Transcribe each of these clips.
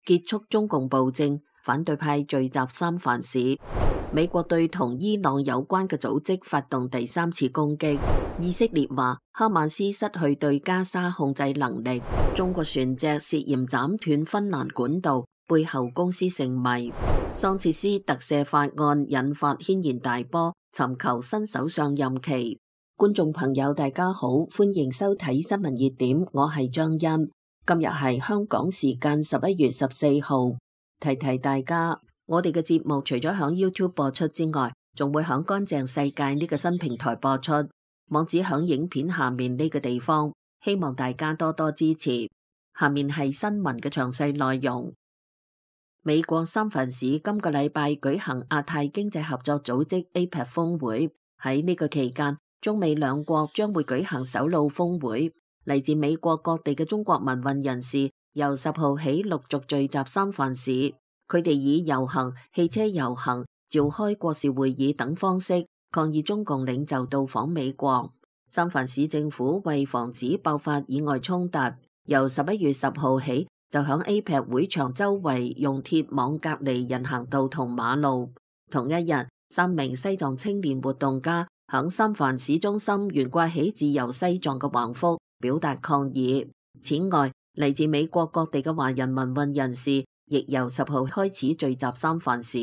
結束中共暴政，反對派聚集三藩市。美國對同伊朗有關嘅組織發動第三次攻擊。以色列話哈馬斯失去對加沙控制能力。中國船隻涉嫌斬斷芬蘭管道，背後公司成謎。桑切斯特赦法案引發軒然大波，尋求新首相任期。觀眾朋友大家好，歡迎收睇新聞熱點，我係張欣。今日係香港時間11月14號，提提大家。我哋嘅節目除咗響 YouTube 播出之外，仲會響乾淨世界呢個新平台播出，網址響影片下面呢個地方，希望大家多多支持。下面係新聞嘅詳細內容。美國三藩市今個禮拜舉行亞太經濟合作組織 APEC 峰會，喺呢個期間，中美兩國將會舉行首腦峰會。嚟自美國各地嘅中國民運人士由10號起陸續聚集三藩市。佢哋以遊行、汽車遊行、召開國事會議等方式抗議中共領袖到訪美國。三藩市政府為防止爆發意外衝突，由11月10號起就響 APEC 會場周圍用鐵網隔離人行道同馬路。同一日，3名西藏青年活動家響三藩市中心懸掛起自由西藏嘅橫幅，表達抗議。此外，嚟自美國各地嘅華人民運人士亦由10號開始聚集三藩市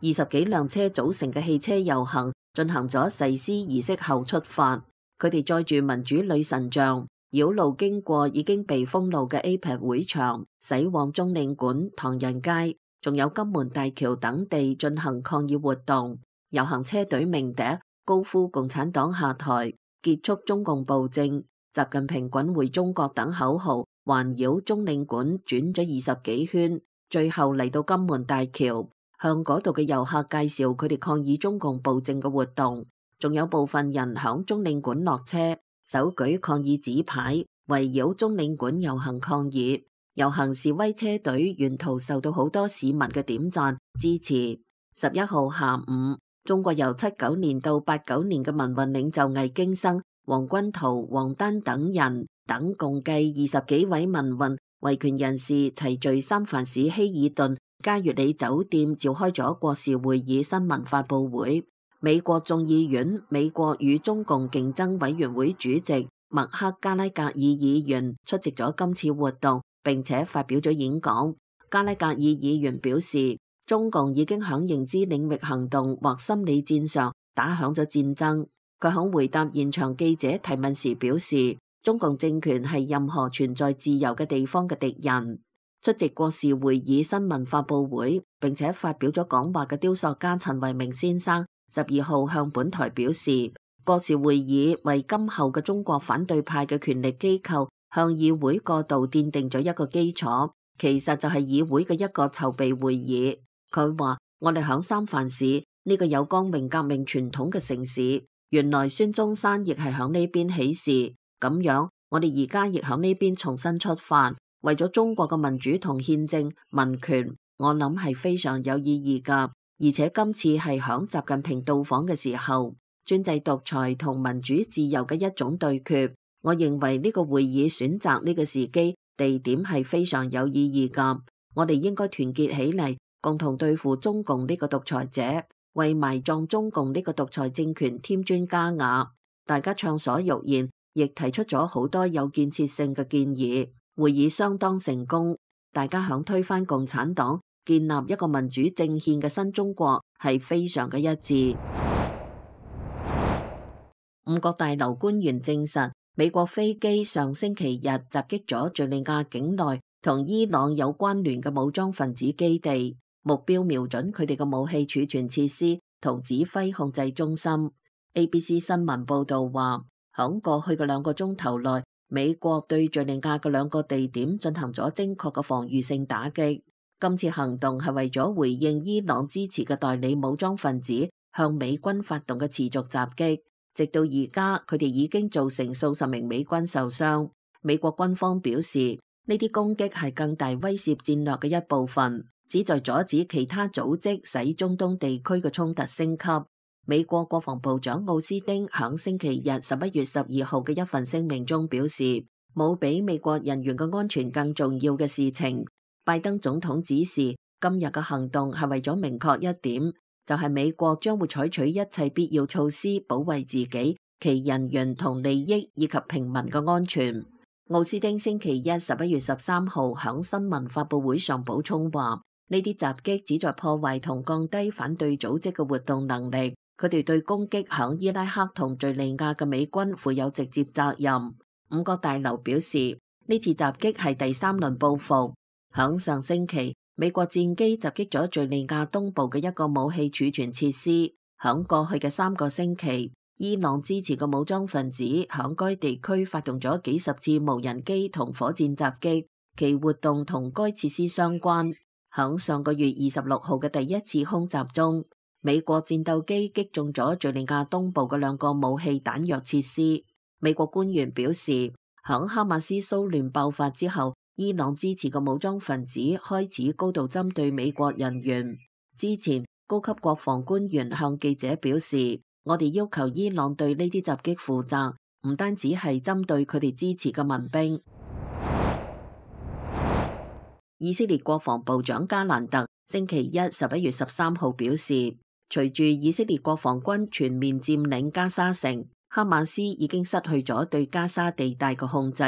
，20幾輛車組成嘅汽車遊行進行咗誓師儀式後出發。佢哋載住民主女神像，繞路經過已經被封路嘅 APEC 會場，駛往中領館、唐人街，仲有金門大橋等地進行抗議活動。遊行車隊鳴笛，高呼共產黨下台、結束中共暴政、習近平滾回中國等口號，環繞中領館轉咗20幾圈。最後嚟到金門大橋，向嗰度嘅遊客介紹佢哋抗議中共暴政嘅活動，仲有部分人響中領館落車，手舉抗議紙牌，圍繞中領館遊行抗議。遊行示威車隊沿途受到好多市民嘅點讚支持。11號下午，中國由79年到89年嘅民運領袖魏京生、黃君濤、王丹等人等共計20幾位民運維權人士齊聚三藩市希爾頓嘉悦里酒店，召開咗國事會議新聞發佈會。美國眾議院美國與中共競爭委員會主席麥克加拉格爾議員出席咗今次活動，並且發表咗演講。加拉格爾議員表示，中共已經響認知領域行動或心理戰上打響咗戰爭。佢響回答現場記者提問時表示，中共政權係任何存在自由嘅地方嘅敵人。出席國事會議新聞發佈會並且發表咗講話嘅雕塑家陳維明先生12號向本台表示，國事會議為今後嘅中國反對派嘅權力機構向議會過渡奠定咗一個基礎，其實就係議會嘅一個籌備會議。佢話，我哋響三藩市呢個有光榮革命傳統嘅城市，原來孫中山亦係響呢邊起事。咁樣，我哋而家亦響呢邊重新出發，為咗中國嘅民主同憲政民權，我諗係非常有意義噶。而且今次係響習近平到訪嘅時候，專制獨裁同民主自由嘅一種對決。我認為呢個會議選擇呢個時機地點係非常有意義噶。我哋應該團結起嚟，共同對付中共呢個獨裁者，為埋葬中共呢個獨裁政權添磚加瓦。大家暢所欲言，亦提出咗好多有建設性嘅建議，會議相當成功。大家響推翻共產黨、建立一個民主政憲嘅新中國係非常嘅一致。五角大樓官員證實，美國飛機上星期日襲擊咗敘利亞境內同伊朗有關聯嘅武裝分子基地，目標瞄準佢哋嘅武器儲存設施同指揮控制中心。ABC 新聞報道話，響過去嘅2個鐘頭內，美國對敘利亞嘅2個地點進行咗精確嘅防禦性打擊。今次行動係為咗回應伊朗支持嘅代理武裝分子向美軍發動嘅持續襲擊。直到而家，佢哋已經造成數十名美軍受傷。美國軍方表示，呢啲攻擊係更大威懾戰略嘅一部分，旨在阻止其他組織使中東地區嘅衝突升級。美國國防部長奧斯汀響星期日11月12號嘅一份聲明中表示，冇比美國人員嘅安全更重要嘅事情。拜登總統指示，今日嘅行動係為咗明確一點，就係美國將會採取一切必要措施保衛自己、其人員同利益以及平民嘅安全。奧斯汀星期一11月13號響新聞發佈會上補充話，呢啲襲擊旨在破壞同降低反對組織嘅活動能力，佢哋對攻擊響伊拉克同敘利亞嘅美軍負有直接責任。五角大樓表示，呢次襲擊係第三輪報復。響上星期，美國戰機襲擊咗敘利亞東部嘅一個武器儲存設施。響過去嘅3個星期，伊朗支持嘅武裝分子響該地區發動咗幾十次無人機同火箭襲擊，其活動同該設施相關。響上個月26號嘅第一次空襲中，美國戰鬥機擊中咗敘利亞東部嘅2個武器彈藥設施。美國官員表示，響哈馬斯騷亂爆發之後，伊朗支持嘅武裝分子開始高度針對美國人員。之前，高級國防官員向記者表示，我哋要求伊朗對呢啲襲擊負責，唔單止係針對佢哋支持嘅民兵。以色列國防部長加蘭特星期一11月13號表示，隨住以色列國防軍全面佔領加沙城，哈馬斯已經失去咗對加沙地帶嘅控制。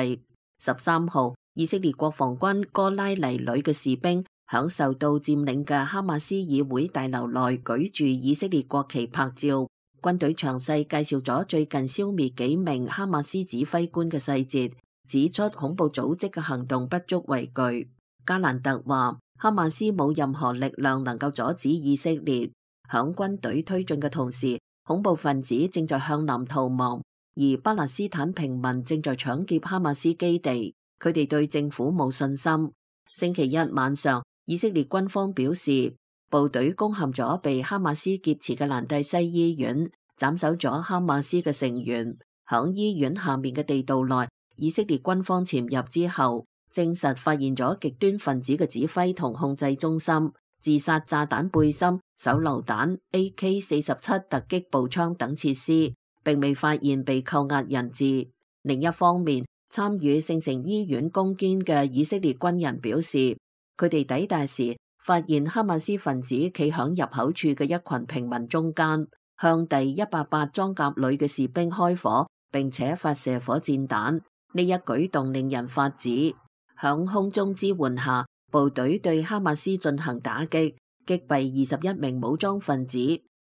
13號，以色列國防軍哥拉尼旅嘅士兵響受到佔領嘅哈馬斯議會大樓內舉住以色列國旗拍照。軍隊詳細介紹咗最近消滅幾名哈馬斯指揮官嘅細節，指出恐怖組織嘅行動不足為懼。加蘭特話，哈馬斯冇任何力量能夠阻止以色列。響軍隊推進嘅同時，恐怖分子正在向南逃亡，而巴勒斯坦平民正在搶劫哈馬斯基地。佢哋對政府冇信心。星期一晚上，以色列軍方表示，部隊攻陷咗被哈馬斯劫持嘅蘭蒂西醫院，斬首咗哈馬斯嘅成員。響醫院下面嘅地道內，以色列軍方潛入之後，證實發現咗極端分子嘅指揮同控制中心、自殺炸彈背心、手榴彈、AK-47 突擊步槍等設施，並未發現被扣押人質。另一方面，參與聖城醫院攻堅嘅以色列軍人表示，佢哋抵達時發現哈馬斯分子企響入口處嘅一群平民中間，向第108裝甲旅嘅士兵開火，並且發射火箭彈。呢一舉動令人髮指。響空中支援下，部隊對哈馬斯進行打擊，擊斃21名武裝分子，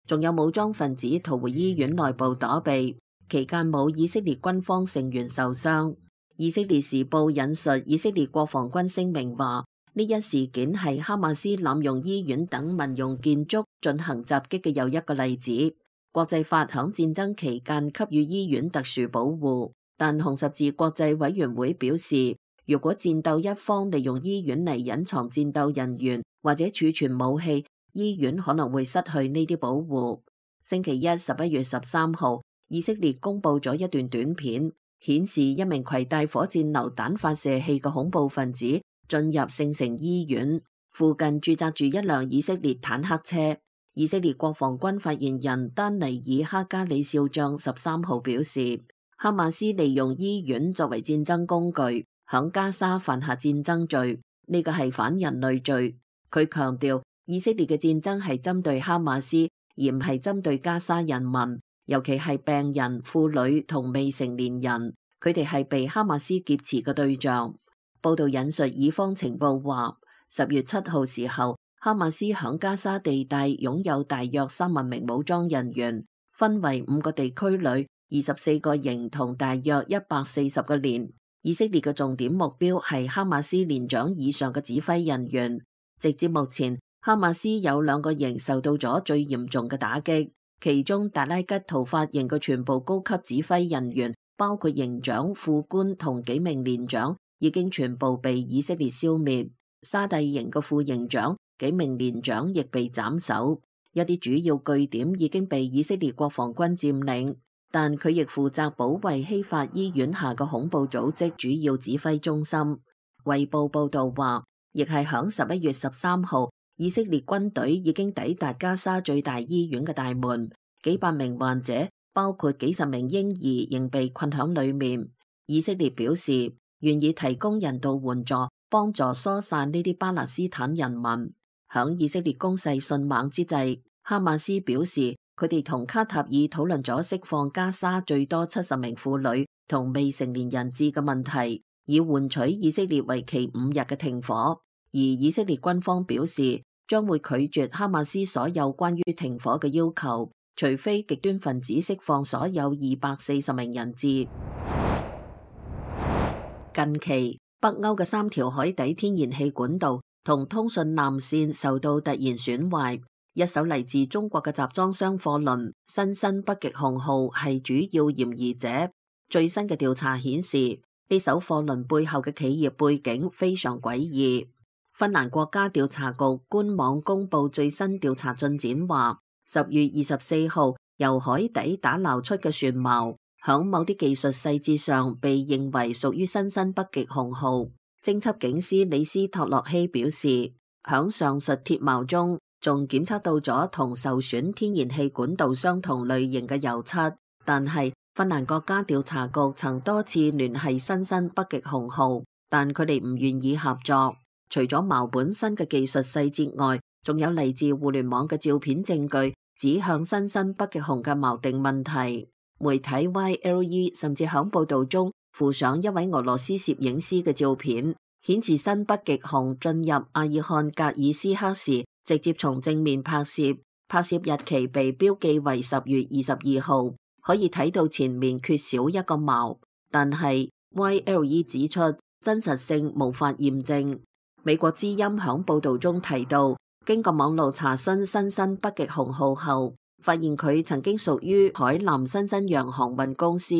仲有武裝分子逃回醫院內部躲避，期間冇以色列軍方成員受傷。以色列時報引述以色列國防軍聲明話，呢一事件係哈馬斯濫用醫院等民用建築進行襲擊嘅又一個例子。國際法響戰爭期間給予醫院特殊保護，但紅十字國際委員會表示，如果戰鬥一方利用醫院嚟隱藏戰鬥人員或者儲存武器，醫院可能會失去呢啲保護。星期一11月13號，以色列公布咗一段短片，顯示一名攜帶火箭榴彈發射器嘅恐怖分子進入聖城醫院附近，駐紮住一輛以色列坦克車。以色列國防軍發言人丹尼爾哈加里少將13號表示，哈馬斯利用醫院作為戰爭工具，響加沙犯下戰爭罪，呢個係反人類罪。佢強調，以色列嘅戰爭係針對哈馬斯，而唔係針對加沙人民，尤其係病人、婦女同未成年人，佢哋係被哈馬斯劫持嘅對象。報道引述以方情報話，10月7號時候，哈馬斯響加沙地帶擁有大約3萬名武裝人員，分為5個地區裏24個營同大約140個連。以色列嘅重點目標係哈馬斯連長以上嘅指揮人員。直至目前，哈馬斯有2個營受到咗最嚴重嘅打擊，其中達拉吉圖法營嘅全部高級指揮人員，包括營長、副官同幾名連長，已經全部被以色列消滅。沙蒂營嘅副營長、幾名連長亦被斬首。一啲主要據點已經被以色列國防軍佔領，但佢亦負責保衛希法醫院下嘅恐怖組織主要指揮中心。衛報報道話，亦係響11月13號，以色列軍隊已經抵達加沙最大醫院嘅大門，幾百名患者，包括幾十名嬰兒，仍被困響裏面。以色列表示願意提供人道援助，幫助疏散呢啲巴勒斯坦人民。響以色列攻勢迅猛之際，哈馬斯表示佢哋同卡塔爾討論咗釋放加沙最多70名婦女同未成年人質嘅問題，以換取以色列為期5日嘅停火。而以色列軍方表示將會拒絕哈馬斯所有關於停火嘅要求，除非極端分子釋放所有240名人質。近期北歐嘅3條海底天然氣管道同通訊纜線受到突然損壞，一艘嚟自中國嘅集裝箱貨輪新新北極熊號係主要嫌疑者。最新嘅調查顯示，呢艘貨輪背後嘅企業背景非常詭異。芬蘭國家調查局官網公布最新調查進展話，10月24號由海底打撈出嘅船錨響某啲技術細節上被認為屬於新新北極熊號。偵緝警司李斯托洛希表示，響上述鐵錨中仲檢測到咗同受損天然氣管道相同類型嘅油漆，但係芬蘭國家調查局曾多次聯繫新新北極熊號，但佢哋唔願意合作。除咗錨本身嘅技術細節外，仲有嚟自互聯網嘅照片證據指向新新北極熊嘅錨定問題。媒體 YLE 甚至響報道中附上一位俄羅斯攝影師嘅照片，顯示新北極熊進入阿爾漢格爾斯克時直接從正面拍攝，拍攝日期被標記為10月22號，可以睇到前面缺少一個錨，但係 YLE 指出真實性無法驗證。美國之音響報道中提到，經過網絡查詢新新北極熊號後，發現佢曾經屬於海南新新洋航運公司，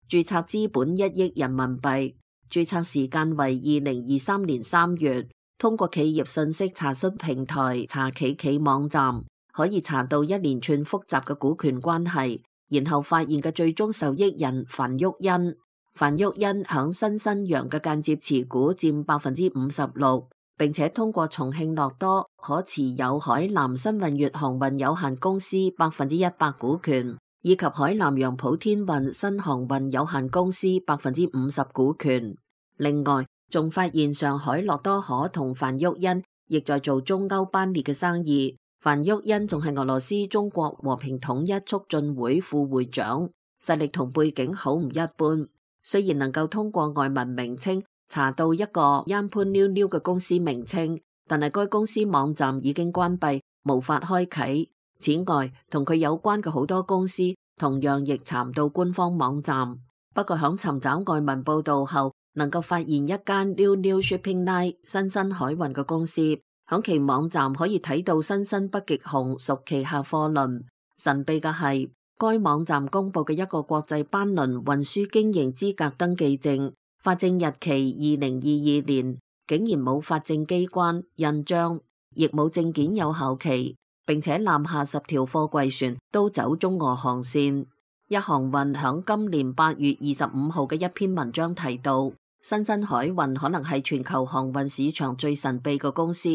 註冊資本1億人民幣，註冊時間為2023年3月。通過企業信息查詢平台查企企網站，可以查到一連串複雜嘅股權關係，然後發現嘅最終受益人樊旭恩。樊旭恩響新新洋嘅間接持股佔56%，並且通過重慶諾多可持有海南新運粵航運有限公司100%股權，以及海南洋普天運新航運有限公司50%股權。另外，仲發現上海諾多可同樊旭恩亦在做中歐班列嘅生意。樊旭恩仲係俄羅斯中國和平統一促進會副會長，實力同背景好唔一般。雖然能夠通過外文名稱查到一個 Yampu 嘅公司名稱，但係該公司網站已經關閉，無法開啟。此外，同佢有關嘅好多公司同樣亦查唔到官方網站。不過響尋找外文報道後，能夠發現一間 New Shipping Line 新新海運嘅公司，響其網站可以睇到新新北極熊屬旗下貨輪。神秘嘅係，該網站公布嘅一個國際班輪運輸經營資格登記證，發證日期2022年，竟然冇發證機關印章，亦冇證件有效期，並且南下10條貨櫃船都走中俄航線。一航運響今年8月25號嘅一篇文章提到，新新海運可能係全球航運市場最神秘嘅公司，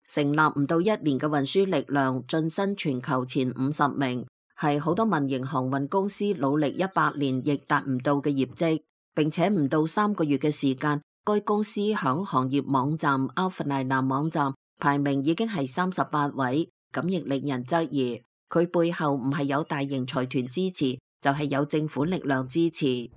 成立唔到1年嘅運輸力量晉身全球前50名，係好多民營航運公司努力100年亦達唔到嘅業績，並且唔到3個月嘅時間，該公司響行業網站 Alpha 網站排名已經係38位，咁亦令人質疑佢背後唔係有大型財團支持，就係有政府力量支持。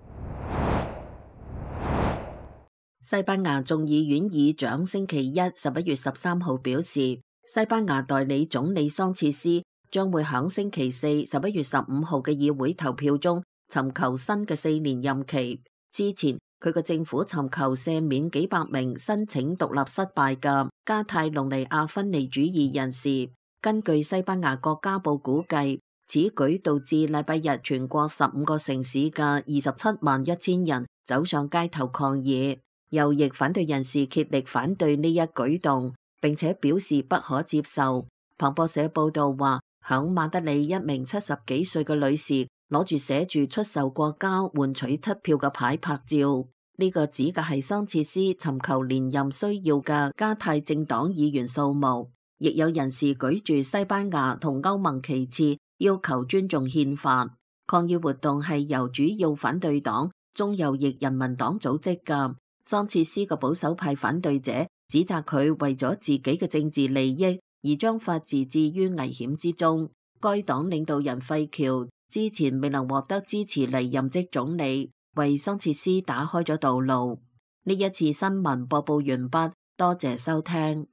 西班牙眾議院議長星期一11月13號表示，西班牙代理總理桑切斯將會響星期四11月15號嘅議會投票中尋求新嘅4年任期。之前佢嘅政府尋求赦免幾百名申請獨立失敗嘅加泰隆尼亞分離主義人士。根據西班牙國家報估計，此舉導致禮拜日全國15個城市嘅271000人走上街頭抗議。右翼反對人士竭力反對呢一舉動，並且表示不可接受。彭博社報道話，響馬德里一名70幾歲嘅女士攞住寫住出售國家換取七票嘅牌拍照，呢個指嘅係桑切斯尋求連任需要嘅加泰政黨議員數目。亦有人士舉住西班牙同歐盟旗幟，要求尊重憲法。抗議活動係由主要反對黨中右翼人民黨組織嘅。桑切斯嘅保守派反對者指責佢為咗自己嘅政治利益而將法治置於危險之中。該黨領導人費喬之前未能獲得支持嚟任職總理，為桑切斯打開咗道路。呢一次新聞播報完畢，多謝收聽。